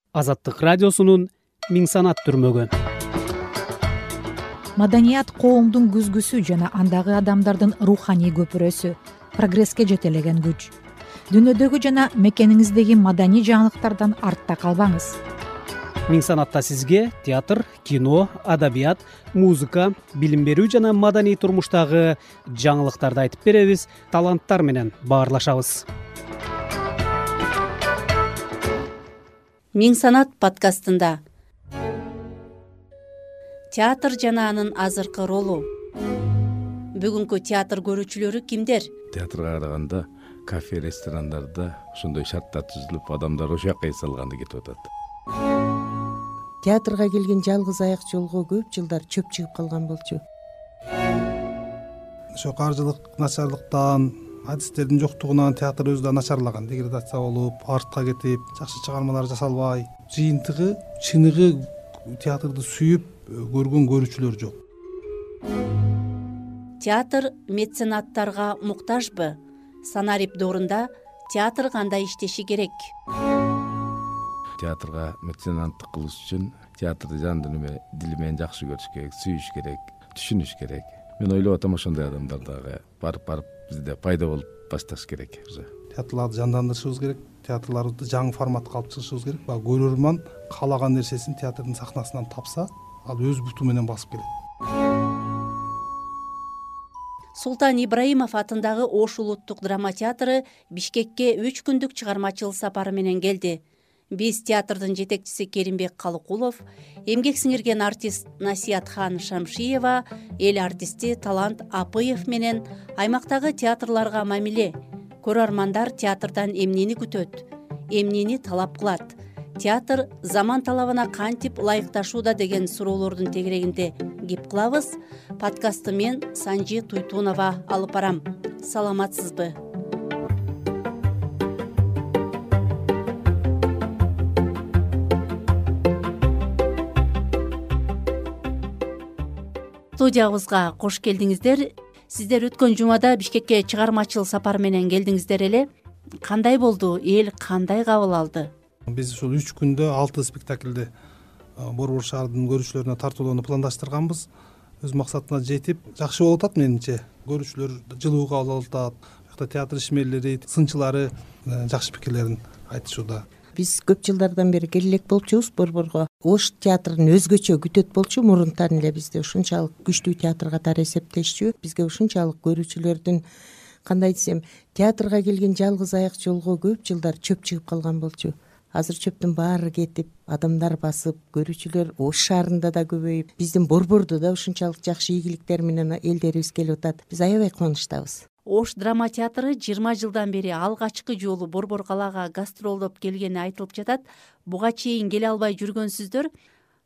Азаттык радиосунун Миң санат түрмөгү. Маданият коомдун күзгүсү жана андагы адамдардын руханий көпүрөсү, прогресске жетелеген күч. Дүйнөдөгү жана мекениңиздеги маданий жаңылыктардан артта калбаңыз. Миң санатта сизге театр, кино, адабият, музыка, билим берүү жана маданий турмуштагы жаңылыктарды айтып беребиз, таланттар менен баарлашабыз. Миң санат подкастында театр жана анын азыркы ролу. Бүгүнкү театр көрүүчүлөрү кимдер? Театрга караганда кафе, ресторандарда ошондой шарттар түзүлүп, адамдар ошол жака эс алганды кетип атат. Театрга келген жалгыз аяк жолго көп жылдар чөп чыгып калган болчу. Ошо каржылык начарлыктан, адистердин жоктугунан театр өзү да начарлаган, деградация болуп, артка кетип, жакшы чыгармалар жасалбай, жыйынтыгы, чыныгы театрды сүйүп көргөн көрүүчүлөр жок. Театр меценаттарга муктажбы? Санарип доорунда театр кандай иштеши керек? Театрга меценаттык кылыш үчүн театрды жан дили менен жакшы көрүш керек, сүйүш керек, түшүнүш керек. Мен ойлоп атам, ошондой адамдар дагы барып бизде пайда болуп башташ керек. Театрларды жандандырышыбыз керек, театрларды жаңы форматка алып чыгышыбыз керек. Көрөрман каалаган нерсесин театрдын сахнасынан тапса, ал өз буту менен басып келет. Султан Ибраимов атындагы Ош улуттук драма театры Бишкекке 3 күндүк чыгармачыл сапары менен келди. Биз театрдын жетекчиси Керимбек Калыкулов, эмгек сиңирген артист Насиятхан Шамшиева, эл артисти Талант Апыев менен аймактагы театрларга мамиле, көрөрмандар театрдан эмнени күтөт, эмнени талап кылат, театр заман талабына кантип ылайыкташууда деген суроолордун тегерегинде кеп кылабыз. Подкастты мен Санжи Туйтунова алып барам. Саламатсызбы? Студиябызга кош келдиңиздер. Сиздер өткөн жумада Бишкекке чыгармачыл сапар менен келдиңиздер эле. Кандай болду? Эл кандай кабыл алды? Биз ушул 3 күндө 6 спектакльди Борбор шаардын көрүүчүлөрүнө тартуулоону пландаштырганбыз. Өз максатына жетип, жакшы болуп атат менимче. Көрүүчүлөр жылуу кабыл алып атат. Бuyакта театр ишмерлери, сынчылары жакшы пикирлерин айтышууда. Биз көп жылдардан бери келе элек болчубуз Борборго. Ош театрын өзгөчө күтөт болчу, мурунтан эле бизде ушунчалык күчтүү театр катары эсептешчү. Бизге ушунчалык көрүүчүлөрдүн, кандай десем, театрга келген жалгыз аяк жолго көп жылдар чөп чыгып калган болчу. Азыр чөптүн баары кетип, адамдар басып, көрүүчүлөр Ош шаарында да көбөйүп, биздин Борбордо да ушунчалык жакшы ийгиликтер менен элдерибиз келип атат. Биз аябай кубанычтабыз. Ош драма театры 20 жылдан бери алгачкы жолу Борбор калаага гастролдоп келгени айтылып жатат. Буга чейин келе албай жүргөнсүздөр.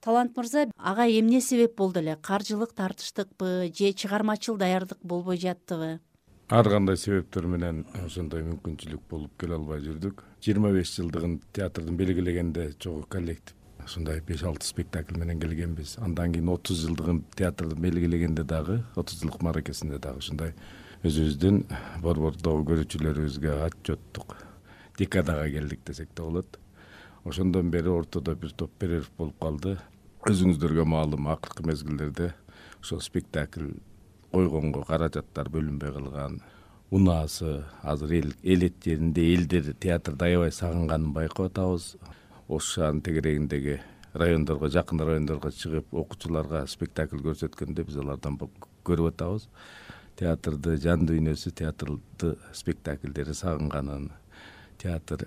Талант мырза, ага эмне себеп болду эле? Каржылык тартыштыкпы же чыгармачыл даярдык болбой жаттыбы? Ар кандай себептер менен ошондой мүмкүнчүлүк болуп келе албай жүрдүк. 25 жылдыгын театрдын белгилегенде чогуу коллектив ушундай 5-6 спектакль менен келгенбиз. Андан кийин 30 жылдыгын театрдын белгилегенде дагы, 30 жылдык мааракесинде дагы ушундай өзүбүздүн Борбордогу көрүүчүлөрүбүзгө отчеттук декадага келдик десек да болот. Ошондон бери ортодо бир топ перерыв болуп калды. Өзүңүздөргө маалым, акыркы мезгилдерде ошол спектакль койгонго каражаттар бөлүнбөй калган. Унаасы азыр эл жеринде элдер театрды аябай сагынганын байкап атабыз. Ош шаарынын тегерегиндеги райондорго, жакын райондорго чыгып, окуучуларга спектакль көрсөткөндө биз алардан көрүп атабыз. Театрды жан дүйнөсү, театрды спектакльдери сагынганын, театр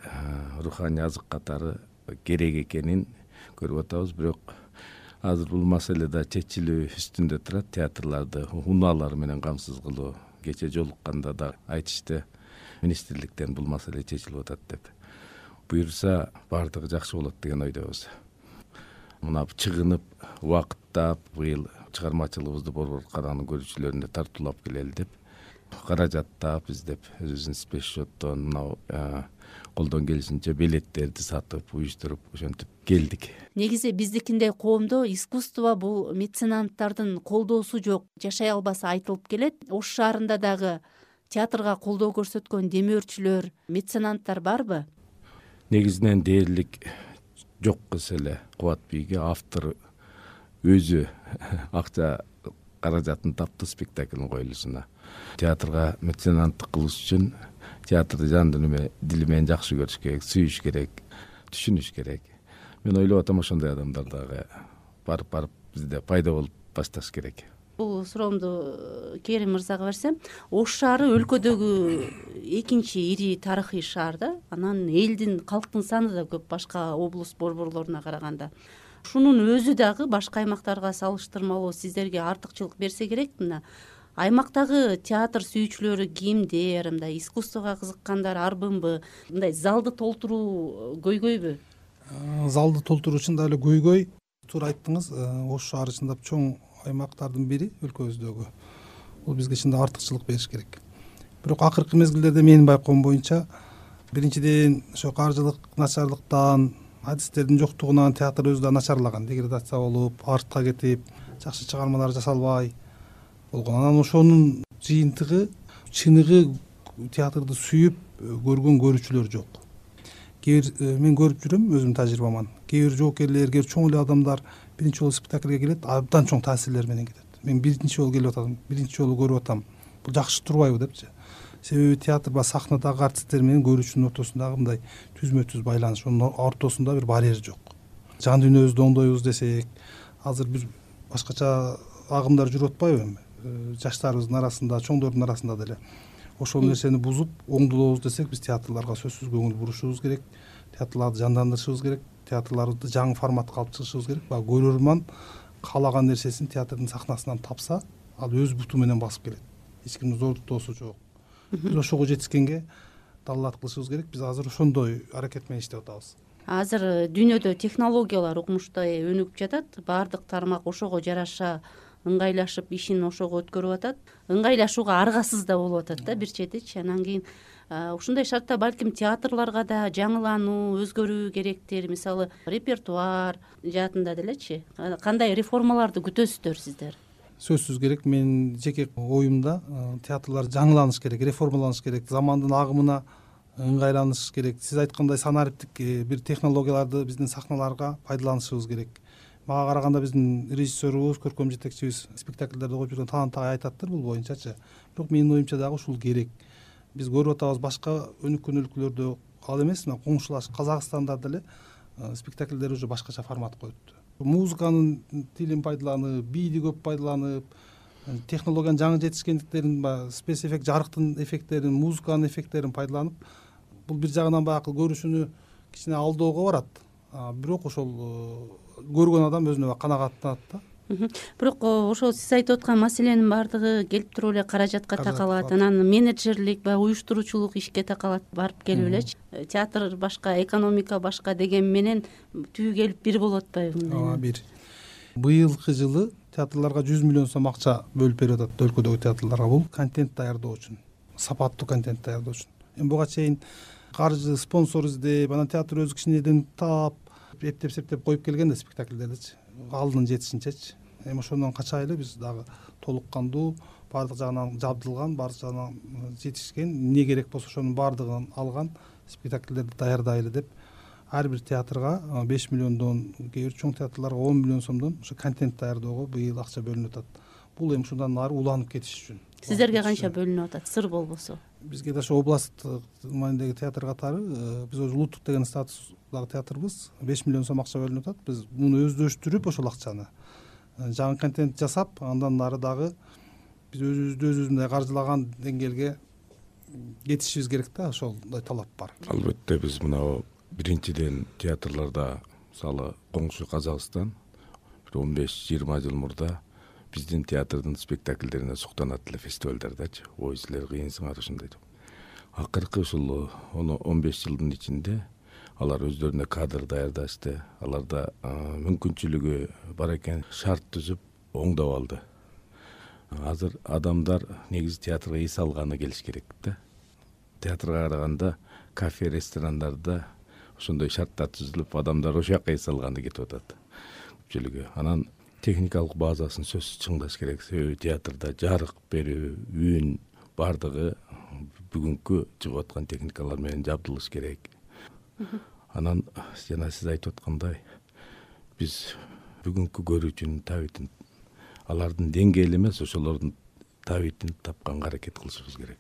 руханий азык катары керек экенин көрүп атабыз. Бирок азыр бул маселе да чечилүү үстүндө турат. Театрларды унаалар менен камсыз кылуу. Кече жолукканда да айтышты, министрликтен бул маселе чечилип атат деп. Буюрса баардыгы жакшы болот деген ойдобуз. Мына чыгынып, убакыттап, быйыл чыгармачылыгыбызды Борбор калаанын көрүүчүлөрүнө тартуулап келели деп, каражаттап издеп, өзүбүздүн спецсчеттон мына колдон келишинче билеттерди сатып, уюштуруп, ошентип келдик. Негизи биздикиндей коомдо искусство бул меценаттардын колдоосу жок, жашай албасы айтылып келет. Ош шаарында дагы театрга колдоо көрсөткөн демөөрчүлөр, меценаттар барбы? Негизинен дээрлик жок кылса эле Кубатбийге автор өзү акча каражатын тапты спектаклдин коюлушуна. Театрга меценаттык кылыш үчүн театрды жан дили менен жакшы көрүш керек, сүйүш керек, түшүнүш керек. Мен ойлоп атам ошондой адамдар дагы барып бизде пайда болуп башташ керек. Бул суроомду Керим мырзага берсем, Ош шаары өлкөдөгү экинчи ири тарыхый шаар да. Анан элдин, калктын саны да көп башка облус борборлоруна караганда. Ушунун өзү дагы башка аймактарга салыштырмалуу сиздерге артыкчылык берсе керек. Мына аймактагы театр сүйүүчүлөрү кимдер, мындай искусствого кызыккандар арбынбы, мындай залды толтуруу көйгөйбү? Залды толтуруу чын да эле көйгөй. Туура айттыңыз, Ош шаары чындап чоң аймактардын бири өлкөбүздөгү. Бул бизге чында артыкчылык бериш керек. Бирок акыркы мезгилдерде менин байкоом боюнча, биринчиден ошо каржылык начарлыктан, адистердин жоктугунан театр өзү да начарлаган, деградация болуп, артка кетип, жакшы чыгармалар жасалбай болгон. Анан ошонун жыйынтыгы, чыныгы театрды сүйүп көргөн көрүүчүлөр жок. Мен көрүп жүрөм өзүмдүн тажрыйбаман. Кээ бир жоокерлер, кээ бир чоң эле адамдар биринчи жолу спектакльге келет, абдан чоң таасирлер менен кетет. Мен биринчи жолу келип атам, биринчи жолу көрүп атам. Бул жакшы турбайбы депчи. Себеби театр ба сахнадагы артисттер менен көрүүчүнүн ортосундагы мындай түзмө-түз байланыш, онун ортосунда бир барьер жок. Жан дүйнөбүздү оңдойбуз десек, азыр бир башкача агымдар жүрүп атпайбы эми? Жаштарыбыздын арасында, чоңдордун арасында деле. Ошол нерсени бузуп, оңдолобуз десек, биз театрларга сөзсүз көңүл бурушубуз керек. Театрларды жандандырышыбыз керек. Театрларды жаңы форматка алып чыгышыбыз керек. Баягы көрөрман каалаган нерсесин театрдын сахнасынан тапса, ал өз буту менен басып келет. Эч кимдин зордуктоосу жок. Биз ошого жетишкенге даллат кылышыбыз керек. Биз азыр ошондой аракет менен иштеп атабыз. Азыр дүйнөдө технологиялар укмуштай өнүгүп жатат. Баардык тармак ошого жараша ыңгайлашып, ишин ошого өткөрүп атат. Ыңгайлашууга аргасыз да болуп атат да бир четичи. Анан кийин ушундай шартта балким театрларга да жаңылануу, өзгөрүү керектир. Мисалы, репертуар жаатында делечи. Кандай реформаларды күтөсүздөр сиздер? Сөзсүз керек. Мен жеке оюмда театрлар жаңыланыш керек, реформаланыш керек, замандын агымына ыңгайланыш керек. Сиз айткандай санариптик бир технологияларды биздин сахналарга пайдаланышыбыз керек. Мага караганда биздин режиссерубуз, көркөм жетекчибиз спектакльдерди коюп жүргөн Талант агай айтаттыр бул боюнчачы. Бирок менин оюмча дагы ушул керек. Биз көрүп атабыз башка өнүккөн өлкөлөрдө ал эмес, мына коңшулаш Казакстанда деле спектакльдер уже башкача формат коюпту. Музыканын тилин пайдаланып, бийди көп пайдаланып, технологиянын жаңы жетишкендиктерин, спецэффект, жарыктын эффекттерин, музыканын эффекттерин пайдаланып, бул бир жагынан баягы көрүүчүнү кичине алдоого барат. Бирок ошол көргөн адам өзүнө канагаттанат да. Бирок ошол сиз айтып аткан маселенин баардыгы келип туруп эле каражатка такалат. Анан менеджерлик баягы уюштуруучулук ишке такалат, барып келип элечи. Театр башка, экономика башка деген менен түбү келип бир болуп атпайбы мындай? Бир. Быйылкы жылы театрларга 100 миллион сом акча бөлүп берип атат өлкөдөгү театрларга. Бул контент даярдоо үчүн, сапаттуу контент даярдоо үчүн. Эми буга чейин каржы, спонсор издеп, анан театр өзү кичинеден таап, эптеп-септеп коюп келген да спектакльдердичи. Алдын жетишинчечи. Эми ошондон качайлы биз дагы толук кандуу, баардык жагынан жабдылган, баардык жагынан жетишкен, эмне керек болсо ошонун баардыгын алган спектакльдерди даярдайлы деп ар бир театрга 5 миллиондон, кээ бир чоң театрларга 10 миллион сомдон ошо контент даярдоого быйыл акча бөлүнүп атат. Бул эми ушундан нары уланып кетиш үчүн. Сиздерге канча бөлүнүп атат, сыр болбосо? Бизге да ошо областтык маанидеги театр катары, биз өзү улуттук деген статустагы театрбыз, 5 миллион сом акча бөлүнүп атат. Биз муну өздөштүрүп ошол акчаны жаңы контент жасап, андан нары дагы биз өзүбүз мындай каржылаган деңгээлге жетишибиз керек да, ошолдой талап бар. Албетте биз мына биринчиден театрларда, мисалы коңшу Казакстан 15-20 жыл мурда биздин театрдын спектакльдерине суктанат эле фестивалдардачы. Ой, силер кыйынсыңар ушундай деп. Акыркы ушул 10-15 жылдын ичинде алар өздөрүнө кадр даярдашты. Аларда мүмкүнчүлүгү бар экен, шарт түзүп оңдоп алды. Азыр адамдар негизи театрга эс алганы келиш керек да. Театрга караганда кафе, ресторандарда ошондой шарттар түзүлүп, адамдар ошол жака эс алганы кетип атат. Көпчүлүгү. Анан техникалык базасын сөзсүз чыңдаш керек. Себеби театрда жарык берүү, үн баардыгы бүгүнкү чыгып аткан техникалар менен жабдылыш керек. Анан жана сиз айтып аткандай биз бүгүнкү көрүүчүнүн табитин алардын деңгээли эмес, ошолордун табитин тапканга аракет кылышыбыз керек.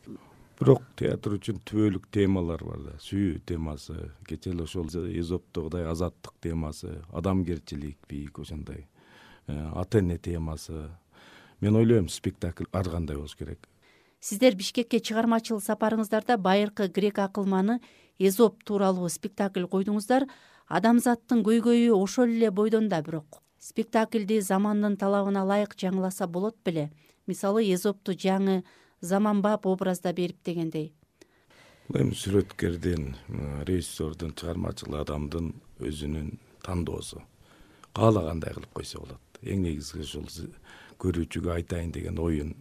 Бирок театр үчүн түбөлүк темалар бар да. Сүйүү темасы, кечээ эле ошол Эзоптогудай азаттык темасы, адамгерчилик, бийик ошондой ата эне темасы. Мен ойлойм, спектакль ар кандай болуш керек. Сиздер Бишкекке чыгармачыл сапарыңыздарда байыркы грек акылманы Эзоп тууралуу спектакль койдуңуздар. Адамзаттын көйгөйү ошол эле бойдон да, бирок спектакльди замандын талабына ылайык жаңыласа болот беле? Мисалы, Эзопту жаңы заманбап образда берип дегендей. Эми сүрөткердин, режиссердун, чыгармачыл адамдын өзүнүн тандоосу. Каалагандай кылып койсо болот. Эң негизги ушул көрүүчүгө айтайын деген оюн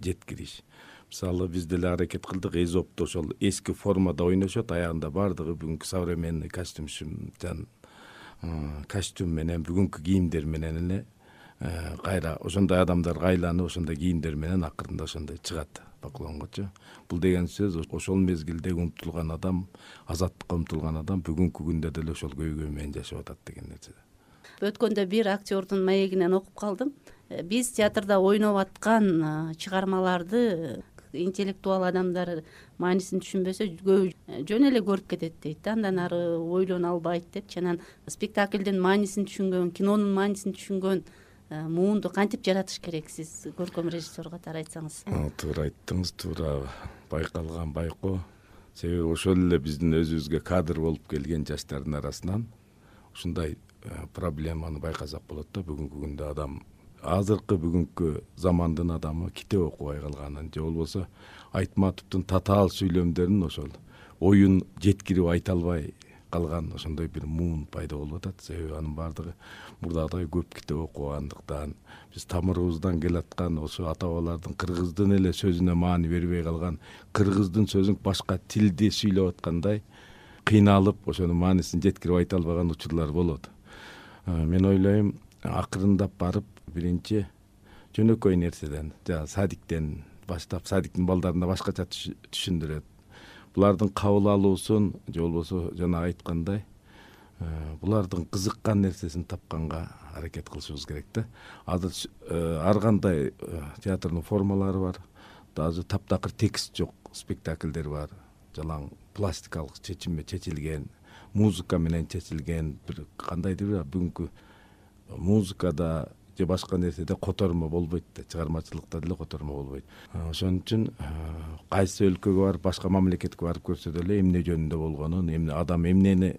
жеткириш. Мисалы, биз деле аракет кылдык, Эзопту ошол эски формада ойношот, аягында бардыгы бүгүнкү современный костюм менен, бүгүнкү кийимдер менен эле кайра ошондой адамдарга айланып, ошондой кийимдер менен акырында ошондой чыгат поклонгочу. Бул деген сөз ошол мезгилде умтулган адам, азаттыкка умтулган адам бүгүнкү күндө деле ошол көйгөй менен жашап атат деген нерсе. Өткөндө бир актердун маегинен окуп калдым. Биз театрда ойноп аткан чыгармаларды интеллектуал адамдар маанисин түшүнбөсө жөн эле көрүп кетет дейт. Андан ары ойлоно албайт депчи. Анан спектаклдин маанисин түшүнгөн, кинонун маанисин түшүнгөн муунду кантип жаратыш керек, сиз көркөм режиссер катары айтсаңыз? Туура айттыңыз, туура байкалган байкоо. Себеби ошол эле биздин өзүбүзгө кадр болуп келген жаштардын арасынан ушундай проблеманы байкасак болот да. Бүгүнкү күндө адам, азыркы бүгүнкү замандын адамы китеп окубай калганын же болбосо Айтматовдун татаал сүйлөмдөрүн ошол оюн жеткирип айта албай калган ошондой бир муун пайда болуп атат. Себеби анын баардыгы мурдагыдай көп китеп окугандыктан, биз тамырыбыздан келаткан ошо ата бабалардын кыргыздын эле сөзүнө маани бербей калган, кыргыздын сөзүн башка тилде сүйлөп аткандай кыйналып, ошонун маанисин жеткирип айта албаган учурлар болот. Мен ойлойм, акырындап барып биринчи жөнөкөй нерседен, садиктен баштап, садиктин балдарына башкача түшүндүрөт. Булардын кабыл алуусун же болбосо жана айткандай, булардын кызыккан нерсесин тапканга аракет кылышыбыз керек да. Азыр ар кандай театрдын формалары бар. Даже таптакыр текст жок спектакльдер бар. Жалаң пластикалык чечилген, музыка менен чечилген, бир кандайдыр бүгүнкү музыкада же башка нерседе котормо болбойт да, чыгармачылыкта деле котормо болбойт. Ошон үчүн кайсы өлкөгө барып, башка мамлекетке барып көрсө деле эмне жөнүндө болгонун, адам эмнени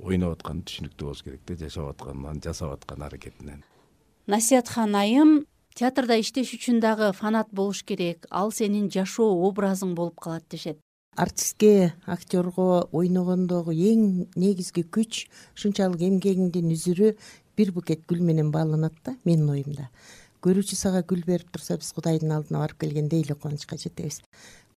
ойноп атканын түшүнүктүү болуш керек да, жашап атканын, жасап аткан аракетинен. Насиятхан айым, театрда иштеш үчүн дагы фанат болуш керек, ал сенин жашоо образың болуп калат дешет. Артистке, актерго ойногондогу эң негизги күч ушунчалык эмгегиңдин үзүрү бир букет гүл менен бааланат да, менин оюмда. Көрүүчү сага гүл берип турса, биз Кудайдын алдына барып келгендей эле кубанычка жетебиз.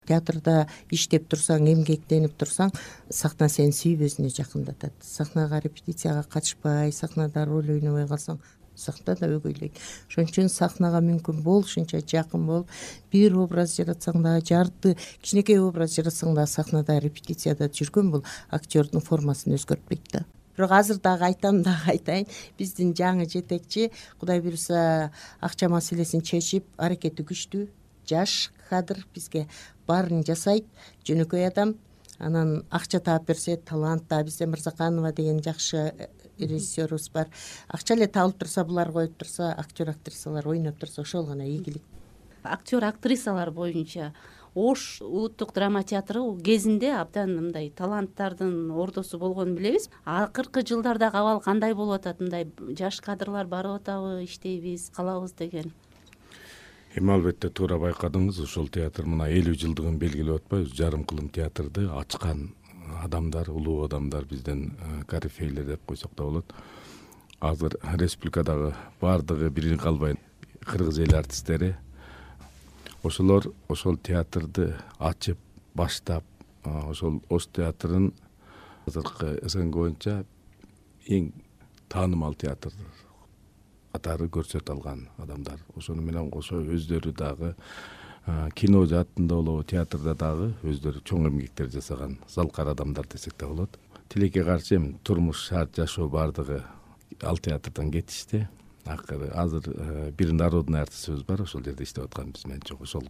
Театрда иштеп турсаң, эмгектенип турсаң, сахна сени сүйүп өзүнө жакындатат. Сахнага репетицияга катышпай, сахнада роль ойнобой калсаң, сахна да өгөйлөйт. Ошон үчүн сахнага мүмкүн болушунча жакын болуп, бир образ жаратсаң да, жарты кичинекей образ жаратсаң да, сахнада репетицияда жүргөн бул актердун формасын өзгөртпөйт да. Бирок азыр дагы айтам, дагы айтайын, биздин жаңы жетекчи, Кудай буюрса, акча маселесин чечип, аракети күчтүү, жаш кадр, бизге баарын жасайт, жөнөкөй адам. Анан акча таап берсе, талант да, бизде Мырзаканова деген жакшы режиссерубуз бар. Акча эле табылып турса, булар коюп турса, актер актрисалар ойноп турса, ошол гана ийгилик. Актер актрисалар боюнча Ош улуттук драма театры кезинде абдан мындай таланттардын ордосу болгонун билебиз. Акыркы жылдардагы абал кандай болуп атат? Мындай жаш кадрлар барып атабы, иштейбиз, калабыз деген? Эми албетте туура байкадыңыз, ошол театр мына 50 жылдыгын белгилеп атпайбы? Жарым кылым театрды ачкан адамдар, улуу адамдар, бизден корифейлер деп койсок да болот. Азыр республикадагы баардыгы бирин калбай кыргыз эл артисттери ошолор ошол театрды ачып, баштап, ошол Ош театрын азыркы СНГ боюнча эң таанымал театр катары көрсөтө алган адамдар. Ошону менен кошо өздөрү дагы кино жаатында болобу, театрда дагы өздөрү чоң эмгектер жасаган залкар адамдар десек да болот. тилекке каршы эми турмуш шарт жашоо баардыгы ал театрдан кетишти. Акыры азыр бир народный артистибиз бар, ошол жерде иштеп атканбыз мен жок. Ошол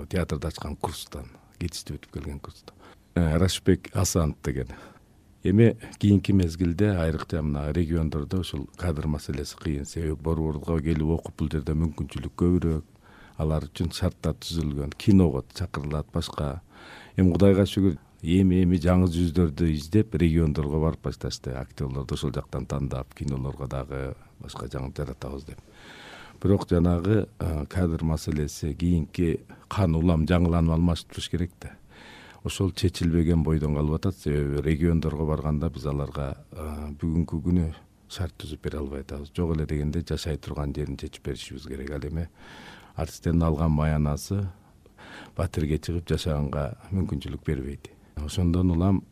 театрды ачкан курстан кетишти, өтүп келген курстан. Рашбек Асанов деген. Эми кийинки мезгилде айрыкча мына региондордо ушул кадр маселеси кыйын. Себеби Борбордо келип окуп бул жерде мүмкүнчүлүк көбүрөөк. Алар үчүн шарттар түзүлгөн. Киного чакырылат, башка. Эми Кудайга шүгүр эми жаңы жүздөрдү издеп региондорго барып башташты. Актерлорду ошол жактан тандап, кинолорго дагы башка жаңы жаратабыз деп. Бирок жанагы кадр маселеси кийинки кан улам жаңыланып алмашып туруш керек да. Ошол чечилбеген бойдон калып атат. Себеби региондорго барганда биз аларга бүгүнкү күнү шарт түзүп бере албай атабыз. Жок эле дегенде жашай турган жерин чечип беришибиз керек. Ал эми артисттердин алган маянасы батирге чыгып жашаганга мүмкүнчүлүк бербейт. Ошондон улам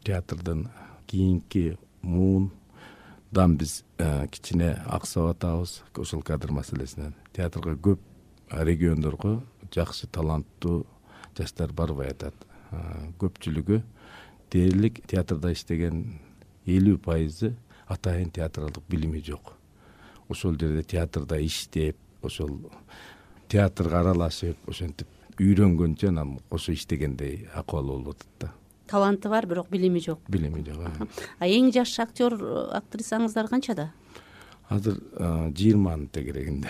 театрдын кийинки муундан биз кичине аксап атабыз ошол кадр маселесинен. Театрга көп региондорго жакшы таланттуу жаштар барбай атат. Көпчүлүгү дээрлик театрда иштеген 50% атайын театралдык билими жок. Ошол жерде театрда иштеп, ошол театрга аралашып, ошентип үйрөнгөнчө анан ошо иштегендей акыбал болуп атат да. Таланты бар, бирок билими жок. Билими жок. Эң жаш актер, актрисаңыздар канчада? Азыр 20 тегерегинде.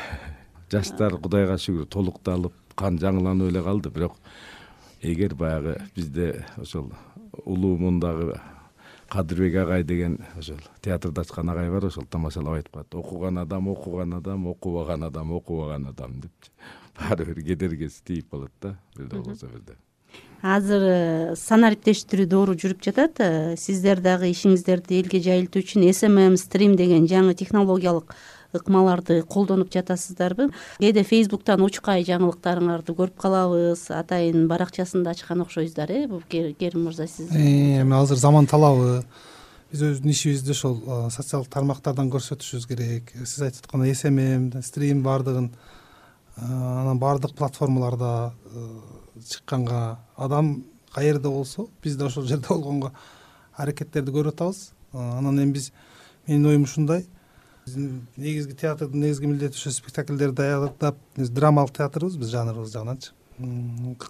Жаштар Кудайга шүгүр толукталып, кан жаңыланып эле калды, бирок эгер баягы бизде ошол улуу мундагы Кадырбек агай деген ошол театрда ачкан агай бар, ошол тамашалап айтып калат. Окуган адам, окубаган адам деп. Баары бир кедергиси тийип калат да, бирде болбосо бирде. Азыр санариптештирүү доору жүрүп жатат. Сиздер дагы ишиңиздерди элге жайылтуу үчүн SMM стрим деген жаңы технологиялык ыкмаларды колдонуп жатасыздарбы? Кээде Facebooktан учкай жаңылыктарыңарды көрүп калабыз. Атайын баракчасында ачкан окшойсуздар, бул Керим мырза сиз. Эми азыр заман талабы. Биз өзүбүздүн ишибизди ошол социалдык тармактардан көрсөтүшүбүз керек. Сиз айтып аткандай SMM, стрим баардыгын анан баардык платформаларда чыкканга адам каерде болсо биз да ошол жерде болгонго аракеттерди көрүп атабыз. Анан эми менин оюм ушундай. Биздин негизги театрдын негизги милдети ошо спектакльдерди даярдап, драмалык театрбыз биз жанрыбыз жагынанчы.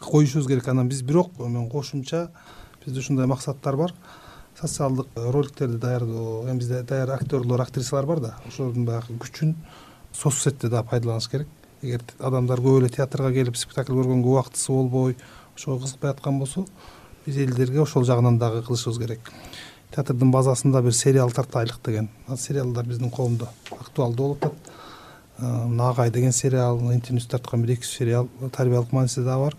Коюшубуз керек. Анан биз бирок кошумча бизде ушундай максаттар бар. Социалдык роликтерди даярдоо, эми бизде даяр актерлор, актрисалар бар да, ошолордун баягы күчүн соцсетте да пайдаланыш керек. Эгер адамдар көп эле театрга келип спектакль көргөнгө убактысы болбой, ошого кызыкпай аткан болсо, биз элдерге ошол жагынан дагы кылышыбыз керек. Театрдын базасында бир сериал тартайлык деген. Сериалдар биздин коомдо актуалдуу болуп атат. Нагай деген сериал, интернет тарткан бир 2 сериал, тарбиялык мааниси да бар.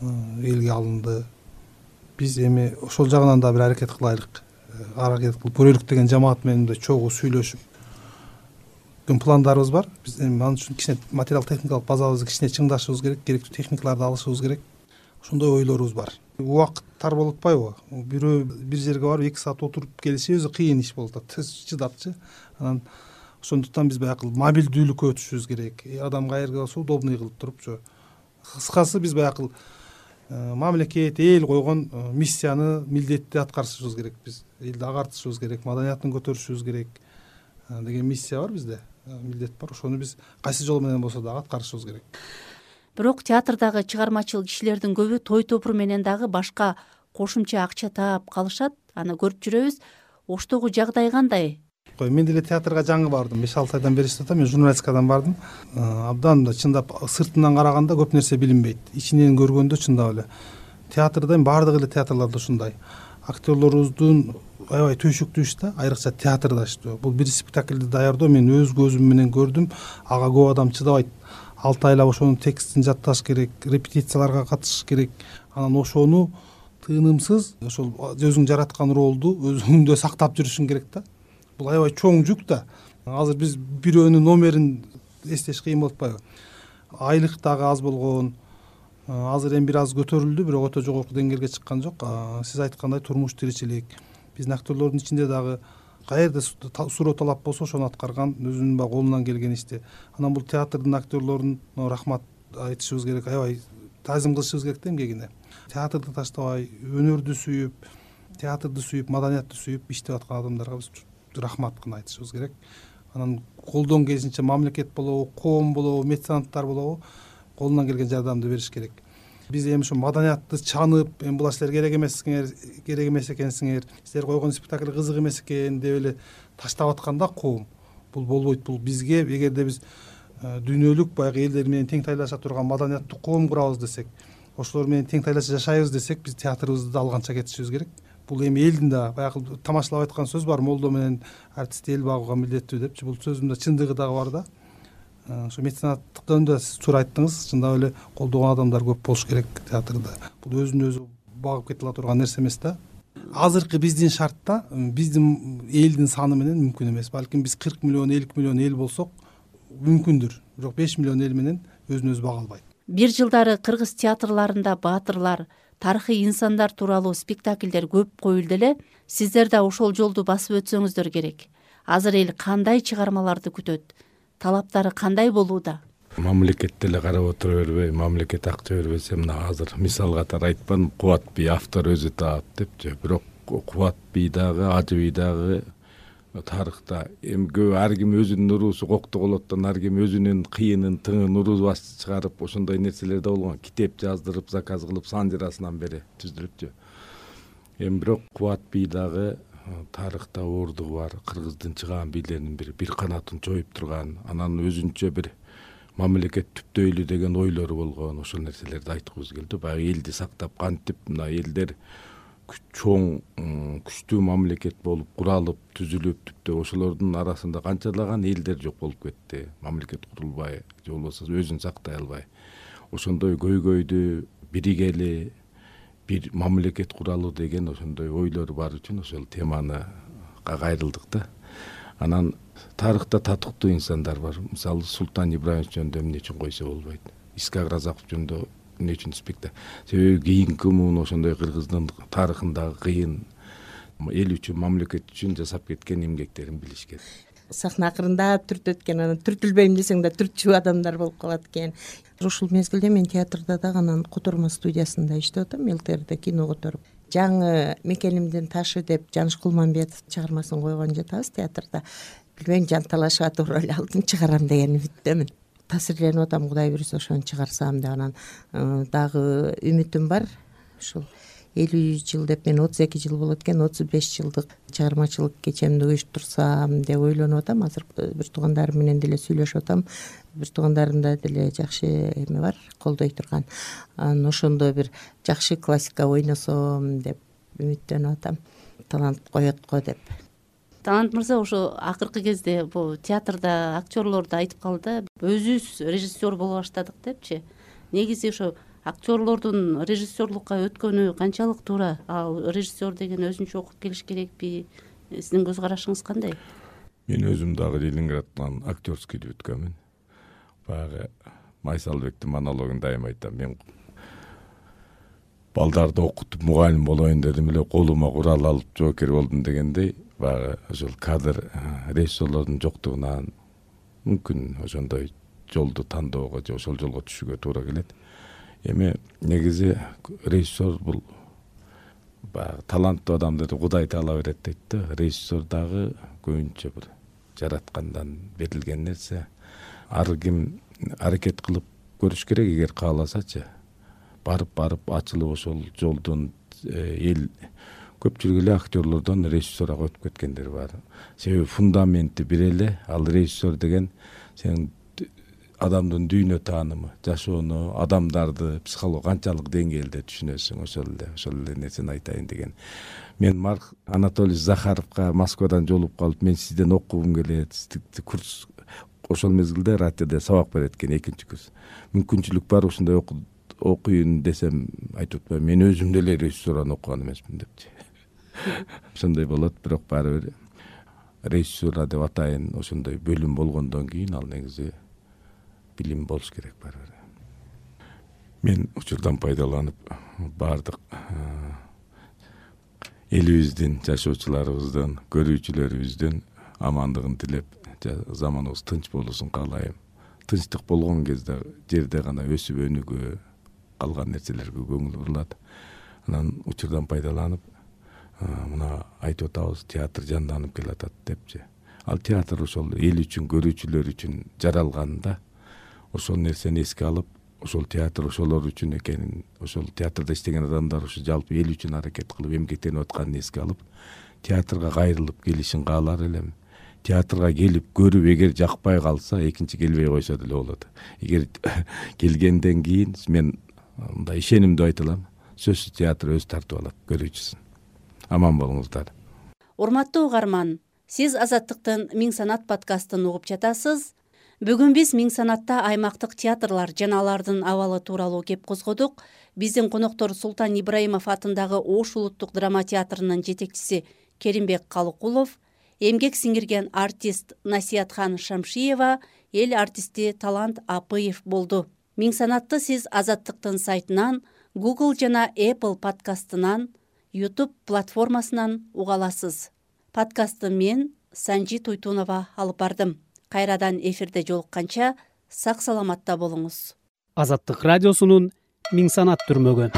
Элге алынды. Биз эми ошол жагынан да бир аракет кылайлык. Аракет кылып көрөлүк деген жамаат менен мындай чогуу сүйлөшүп пландарыбыз бар. Биз эми ан үчүн кичине материал техникалык базабызды кичине чыңдашыбыз керек, керектүү техникаларды алышыбыз керек. Ошондой ойлорубуз бар. Убакыт тар болуп атпайбы? Бирөө бир жерге барып 2 саат отуруп келиши өзү кыйын иш болуп атат. Чыдапчы. Анан ошондуктан биз баягы мобилдүүлүккө өтүшүбүз керек. Адам каерге болсо удобный кылып турупчу. Кыскасы биз баягы мамлекет, эл койгон миссияны, милдетти аткарышыбыз керек. Биз элди агартышыбыз керек, маданиятын көтөрүшүбүз керек деген миссия бар бизде. Милдет бар. Ошону биз кайсы жол менен болсо дагы аткарышыбыз керек. Бирок театрдагы чыгармачыл кишилердин көбү той топур менен дагы башка кошумча акча таап калышат. Аны көрүп жүрөбүз. Оштогу жагдай кандай? Мен деле театрга жаңы бардым. 5-6 айдан бери иштеп атам. Мен журналистикадан бардым. Абдан да чындап сыртынан караганда көп нерсе билинбейт. Ичинен көргөндө чындап эле театрда баардык эле театрларда ушундай. Актерлорубуздун аябай түйшүктүү иш да, айрыкча театрда иштөө. Бул бир спектакльди даярдоо мен өз көзүм менен көрдүм. Ага көп адам чыдабайт. 6 айлап ошонун текстин жатташ керек, репетицияларга катышыш керек. Анан ошону тыынымсыз ошол өзүң жараткан ролду өзүңдө сактап жүрүшүң керек да. Бул аябай чоң жүк да. Азыр биз бирөөнүн номерин эстеш кыйын болуп атпайбы? Айлык дагы аз болгон. Азыр эми бир аз көтөрүлдү, бирок өтө жогорку деңгээлге чыккан жок. Сиз айткандай турмуш тиричилик. Биздин актерлордун ичинде дагы каерде суроо талап болсо ошону аткарган, өзүнүн баягы колунан келген ишти. Анан бул театрдын актерлорун рахмат айтышыбыз керек, аябай таазим кылышыбыз керек да эмгегине. Театрды таштабай, өнөрдү сүйүп, театрды сүйүп, маданиятты сүйүп иштеп аткан адамдарга биз рахмат гана айтышыбыз керек. Анан колдон келишинче мамлекет болобу, коом болобу, меценаттар болобу колунан келген жардамды бериш керек. Биз эми ушу маданиятты чанып, эми була силер керек эмес экенсиңер, силер койгон спектакль кызык эмес экен деп эле таштап атканда коом бул болбойт. Бул бизге эгерде биз дүйнөлүк баягы элдер менен тең тайлаша турган маданияттуу коом курабыз десек, ошолор менен тең тайлаша жашайбыз десек, биз театрыбызды да алганча кетишибиз керек. Бул эми элдин да баягы тамашалап айткан сөз бар, молдо менен артист эл багууга милдеттүү депчи. Бул сөздүн да чындыгы дагы бар да. Ошо меценаттык жөнүндө сиз туура айттыңыз. Чындап эле колдогон адамдар көп болуш керек театрда. Бул өзүн өзү багып кете ала турган нерсе эмес да. Азыркы биздин шартта биздин элдин саны менен мүмкүн эмес. Балким биз 40 миллион, 50 миллион эл болсок мүмкүндүр. Бирок 5 миллион эл менен өзүн өзү бага албайт. Бир жылдары кыргыз театрларында баатырлар, тарыхый инсандар тууралуу спектакльдер көп коюлду эле. Сиздер да ошол жолду басып өтсөңүздөр керек. Азыр эл кандай чыгармаларды күтөт? Талаптары кандай болууда? Мамлекет деле карап отура бербей, мамлекет акча бербесе, мына азыр мисал катары айтпадым, Кубат бий автор өзү таап депчи. Бирок Кубат бий дагы, Ажы бий дагы тарыхта эми көп ар ким өзүнүн уруусу коктоголоттон ар ким өзүнүн кыйынын, тыңын уруу чыгарып ошондой нерселер да болгон. Китеп жаздырып, заказ кылып санжырасынан бери түздүрүпчү. Эми бирок Кубат бий дагы тарыхта ордугу бар, кыргыздын чыгаан бийлеринин бир канатын чоюп турган, анан өзүнчө бир мамлекет түптөйлү деген ойлору болгон. Ошол нерселерди айткыбыз келди. Баягы элди сактап кантип мына элдер чоң күчтүү мамлекет болуп куралып, түзүлүп, түптө ошолордун арасында канчалаган элдер жок болуп кетти. Мамлекет курулбай, же болбосо өзүн сактай албай. Ошондой көйгөйдү биригели бир мамлекет куралы деген ошондой ойлор бар үчүн ошол теманы кайрылдык да. Анан тарыхта татыктуу инсандар бар. Мисалы Султан Ибраимович жөнүндө эмне үчүн койсо болбойт. Искак Разаков жөнүндө эмне үчүн спектакль. Себеби кийинки муун ошондой кыргыздын тарыхындагы кыйын эл үчүн, мамлекет үчүн жасап кеткен эмгектерин билишкен. Сахна акырындап түртөт экен, анан түртүлбөйм десең да түртчү адамдар болуп калат экен. Ушул мезгилде мен театрда дагы анан котормо студиясында иштеп атам, ЛТРде кино которуп. Жаңы мекенимдин ташы деп Жаныш Кулманбетов чыгармасын койгон жатабыз театрда. Билбейм, жанталашып атып роль алдым, чыгарам деген үмүттөмүн. Таасирленип атам, Кудай буйруса ошону чыгарсам деп. Анан дагы үмүтүм бар. Ушул 50 жыл деп, мен 32 жыл болот экен, 35 жылдык чыгармачылык кечемди уюштурсам деп ойлонуп атам. Азыр бир туугандарым менен деле сүйлөшүп атам. Бир туугандарымда деле жакшы эме бар, колдой турган. Анан ошондо бир жакшы классика ойносом деп үмүттөнүп атам. Талант коет го деп. Талант мырза ошо акыркы кезде бул театрда актерлор да айтып калды, өзүбүз режиссер боло баштадык депчи. Негизи ошо актерлордун режиссерлукка өткөнү канчалык туура? Ал режиссер деген өзүнчө окуп келиш керекпи? Сиздин көз карашыңыз кандай? Мен өзүм дагы Ленинградтан актерскийди бүткөнмүн. Баягы Майсалбектин монологун дайыма айтам. Мен балдарды окутуп мугалим болоюн дедим эле, колума курал алып жоокер болдум дегендей, баягы ошол кадр режиссерлордун жоктугунан мүмкүн ошондой жолду тандоого же ошол жолго түшүүгө туура келет. Эми негизи режиссер бул баягы таланттуу адамдарды Кудай таала берет дейт да. Режиссер дагы көбүнчө бир жараткандан берилген нерсе. Ар ким аракет кылып көрүш керек, эгер кааласачы. Барып ачылып ошол жолдон эл көпчүлүк эле актерлордон режиссерга өтүп кеткендер бар. Себеби фундаменти бир эле. Ал режиссер деген сен адамдын дүйнө таанымы, жашоону, адамдарды психология канчалык деңгээлде түшүнөсүң, ошол эле нерсени айтайын деген. Мен Марк Анатолий Захаровга Москвадан жолугуп калып, мен сизден окугум келет, курс ошол мезгилде радиодо сабак берет экен, 2-курс. Мүмкүнчүлүк бар ушундай окуйын десем, айтып атпайм, мен өзүм деле режиссураны окуган эмесмин депчи. Ошондой болот, бирок баары бир режиссура деп атайын, ошондой бөлүм болгондон кийин ал негизи билим болуш керек баары бир. Мен учурдан пайдаланып баардык элибиздин, жашоочуларыбыздын, көрүүчүлөрүбүздүн амандыгын тилеп, заманыбыз тынч болуусун каалайм. Тынчтык болгон кезде жерде гана өсүп өнүгүү, калган нерселерге көңүл бурулат. Анан учурдан пайдаланып мына айтып атабыз, театр жанданып келатат депчи. Ал театр ошол эл үчүн, көрүүчүлөр үчүн жаралган да. Ошол нерсени эске алып, ошол театр ошолор үчүн экенин, ошол театрда иштеген адамдар ушу жалпы эл үчүн аракет кылып эмгектенип атканын эске алып, театрга кайрылып келишин каалар элем. Театрга келип көрүп, эгер жакпай калса, экинчи келбей койсо деле болот. Эгер келгенден кийин мен мындай ишенимдүү айта алам, сөзсүз театр өз тартып алат көрүүчүсүн. Аман болуңуздар. Урматтуу угарман, сиз Азаттыктын Миң санат подкастын угуп жатасыз. Бүгүн биз Миң санатта аймактык театрлар жана алардын абалы тууралуу кеп козгодук. Биздин коноктор Султан Ибраимов атындагы Ош улуттук драма театрынын жетекчиси Керимбек Калыкулов, эмгек сиңирген артист Насиятхан Шамшиева, эл артисти Талант Апыев болду. Миң санатты сиз Азаттыктын сайтынан, Google жана Apple подкастынан, YouTube платформасынан уга аласыз. Подкастты мен Санжи Туйтунова алып бардым. Кайрадан эфирде жолукканча сак саламатта болуңуз. Азаттык радиосунун Миң санат түрмөгү.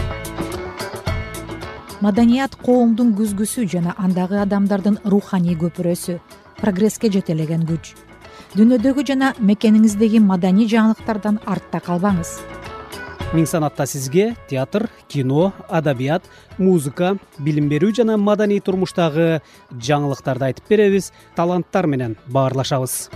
Маданият коомдун күзгүсү жана андагы адамдардын руханий көпүрөсү, прогресске жетелеген күч. Дүйнөдөгү жана мекениңиздеги маданий жаңылыктардан артта калбаңыз. Миң санатта сизге театр, кино, адабият, музыка, билим берүү жана маданий турмуштагы жаңылыктарды айтып беребиз, таланттар менен баарлашабыз.